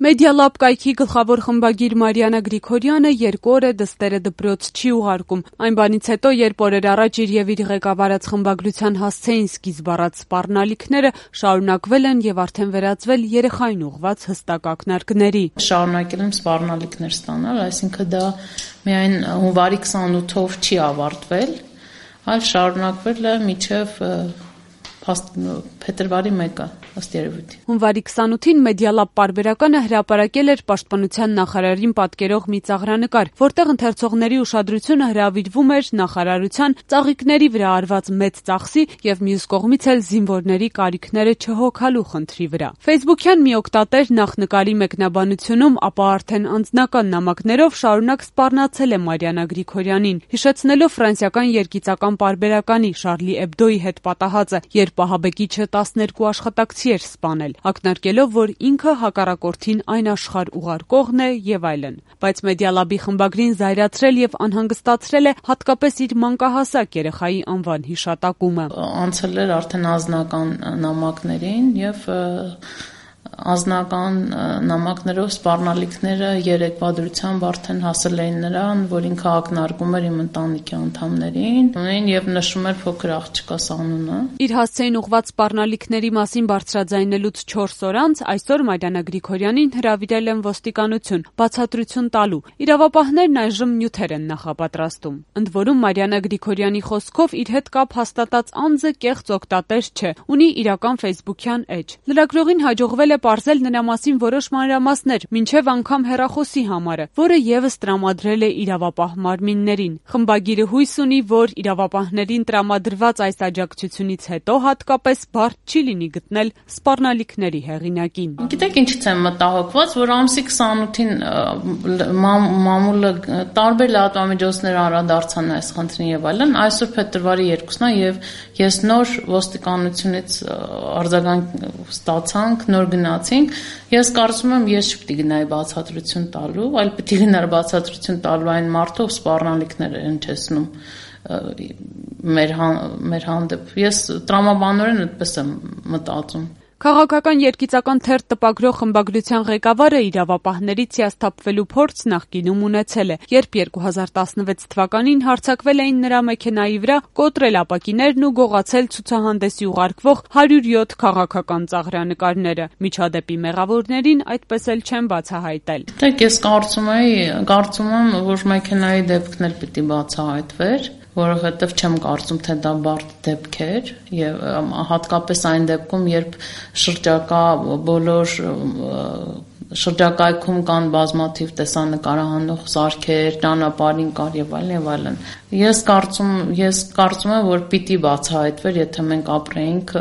Մեդիալաբ կայքի գլխավոր խմբագիր Մարիաննա Գրիգորյանը 2 օր է դստերը դպրոց չի ուղարկում։ Այն բանից հետո, երբ օրեր առաջ իր եւ իր ղեկավարած խմբագրության հասցեին սկիզբ առած սպառնալիքները, շարունակվել են եւ արդեն վերածվել երեխային ուղղված հստակ ակնարկների։ Շարունակել եմ սպառնալիքներ ստանալ, այսինքն դա միայն հունվարի 28-ով չի ավարտվել, այլ շարունակվել է մինչեւ փետրվարի 1-ը, ըստ երևույթի։ Հունվարի 28-ին Մեդիալաբ պարբերականը հրապարակել էր Պաշտպանության նախարարին պատկերող մի ծաղրանկար, որտեղ ընթերցողների ուշադրությունը հրավիրվում էր նախարարության ծաղիկների վրա արված մեծ ծախսի եւ մյուս կողմից էլ զինվորների կարիքները չհոգալու խնդրի վրա։ Facebook-յան մի օգտատեր նախնկարի մեկնաբանությունում, ապա արդեն անձնական նամակներով շարունակ սպառնացել է Մարիաննա Գրիգորյանին, հիշեցնելով ֆրանսիական երգիծական պարբերականի Շարլի Էբդոյի հետ պատահածը, երբ ահաբեկիչը 12 աշխատակցի էր սպանել, ակնարկելով, որ ինքը հակառակորդին այն աշխարհ ուղարկողն է եւ այլն։ Բայց Մեդիալաբի խմբագրին զայրացրել եւ անհանգստացրել է հատկապես իր մանկահասակ երեխայի անվան հիշատակումը։ Անցել էր արդեն անձնական նամակներին եւ անձնական նամակներով սպառնալիքները երեկվա դրությամբ արդեն հասել էին նրան, որ ինքը ակնարկում էր իմ ընտանիքի անդամներին եւ նշում էր փոքր աղջկաս անունը։ Իր հասցեին ուղղված սպառնալիքների մասին բարձրաձայնելուց 4 օր անց այսօր Մարիաննա Գրիգորյանին հրավիրել են ոստիկանություն, բացատրություն տալու։ Իրավապահներն այժմ նյութեր են նախապատրաստում։ Ընդ որում Մարիաննա Գրիգորյանի խոսքով իր հետ կապ հաստատած անձը կեղծ օգտատեր չէ, ունի իրական Facebook-յան էջ։ Լրագրողին հաջողվել է պարզել նրա մասին որոշ մանրամասներ, մինչև անգամ հեռախոսի համարը, որը եւս տրամադրել է իրավապահ մարմիններին։ Խմբագիրը հույս ունի, որ իրավապահներին տրամադրված այս աջակցությունից հետո հատկապես բարդ չի լինի գտնել սպառնալիքների հեղինակին։ Գիտեք ինչից եմ մտահոգված, որ ամսի 28-ին մամուլը տարբեր լրատվամիջոցներ անդրադարձան այս խնդրին եւ այլն, այսօր փետրվարի 2-ն է եւ ես նոր ոստիկանությունից արձագանք ստացանք, նոր գնացինք, ես կարծում եմ ես չպետք է գնայի բացատրություն տալու, այլ պետք է գնար բացատրություն տալու այն մարդով սպառնալիքներ են հնչեցնում մեր հանդեպ։ Ես տրամաբանորեն այդպես եմ մտածում։ Քաղաքական երգիծական թերթ տպագրող խմբագրության ղեկավարը իրավապահներից հիասթափվելու փորձ նախկինում ունեցել է, երբ 2016 թվականին հարձակվել էին նրա մեքենայի վրա, կոտրել ապակիներն ու գողացել ցուցահանդեսի ուղարկվող 107 քաղաքական ծաղրանկարները։ Միջադեպի մեղավորներին այդպես էլ չեն բացահայտել։ Դեք ես կարծում եմ, որ մեքենայի դեպքն էլ պիտի բացահայտվեր, որովհետև չեմ կարծում, թե դա բարդ դեպք էր եւ հատկապես այն դեպքում, երբ շրջակայքում կան բազմաթիվ տեսանկարահանող սարքեր, ճանապարհին կար եւ այլն։ Ես կարծում եմ, որ պիտի բացահայտվեր, եթե մենք ապրեինք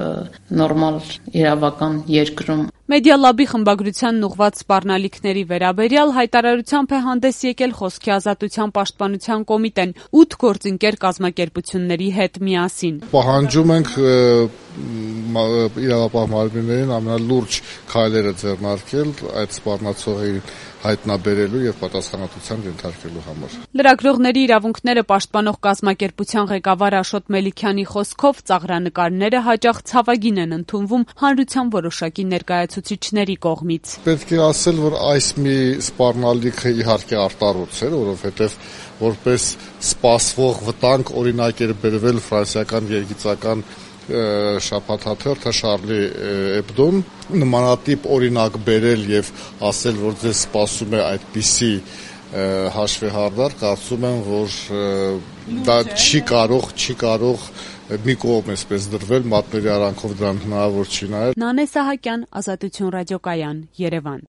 նորմալ իրավական երկրում։ Մեդիալաբի խմբագրության ուղղված սպառնալիքների վերաբերյալ հայտարարությամբ է հանդես եկել Խոսքի ազատության պաշտպանության կոմիտեն 8 գործընկեր կազմակերպությունների հետ միասին։ Պահանջում ենք իրավապահ մարմիններին ամենալուրջ քայլերը ձեռնարկել այդ սպառնացողի հայտնաբերելու եւ պատասխանատվության ենթարկելու համար։ Լրագրողների իրավունքները պաշտպանող կազմակերպության ղեկավար Աշոտ Մելիքյանի խոսքով ծաղրանկարները հաճախ ցավագին են ընդունվում հանրության որոշակի ներկայացուցիչների կողմից։ Պետք է ասել, որ այս մի սպառնալիքը իհարկե արտառոց էր, որովհետեւ որպես սպասվող վտանգ օրինակ էր բերվել ֆրանսիական երգիծական շաբաթաթերթը Շարլի Էբդոն նմանատիպ օրինակ բերել եւ ասել, որ ձեզ սպասում է այդպիսի հաշվեհարդար, կարծում եմ, որ դա չի կարող մի կողմ էսպես դրվել, մատների արանքով դրան հնարավոր չի նայել։ Նանե Սահակյան, Ազատություն ռադիոկայան, Երևան։